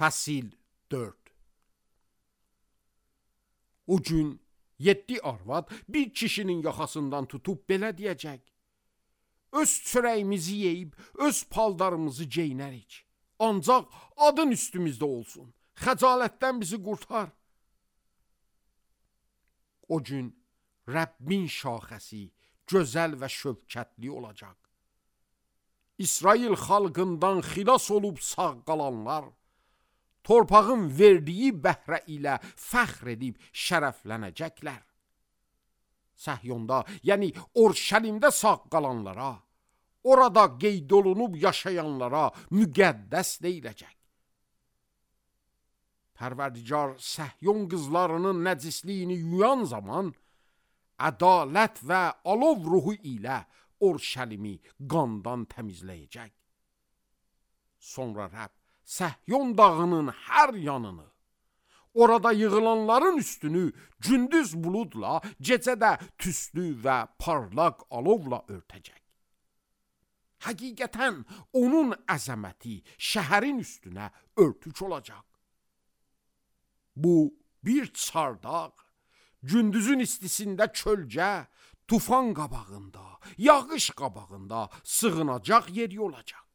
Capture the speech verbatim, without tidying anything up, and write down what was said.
Fəsil dörd. O gün yeddi arvad bir kişinin yaxasından tutub belə deyəcək: öz çörəyimizi yeyib, öz paldarımızı geyinərik. Ancaq adın üstümüzdə olsun. Xəcalətdən bizi qurtar. O gün Rəbbin şaxəsi gözəl və şövkətli olacaq. İsrail xalqından xilas olub sağ qalanlar, torpağın verdiyi bəhrə ilə fəxr edib şərəflənəcəklər. Səhyonda, yəni Orşəlimdə sağ qalanlara, orada qeyd olunub yaşayanlara müqəddəs deyiləcək. Pərverdigar Səhyon qızlarının nəcisliyini yuyan zaman, ədalət və alov ruhu ilə Orşəlimi qandan təmizləyəcək. Sonra Rəbb Səhyon dağının hər yanını, orada yığılanların üstünü gündüz buludla, gecədə tüstü və parlaq alovla örtəcək. Həqiqətən onun əzəməti şəhərin üstünə örtük olacaq. Bu bir çardaq, gündüzün istisində kölgə, tufan qabağında, yağış qabağında sığınacaq yeri olacaq.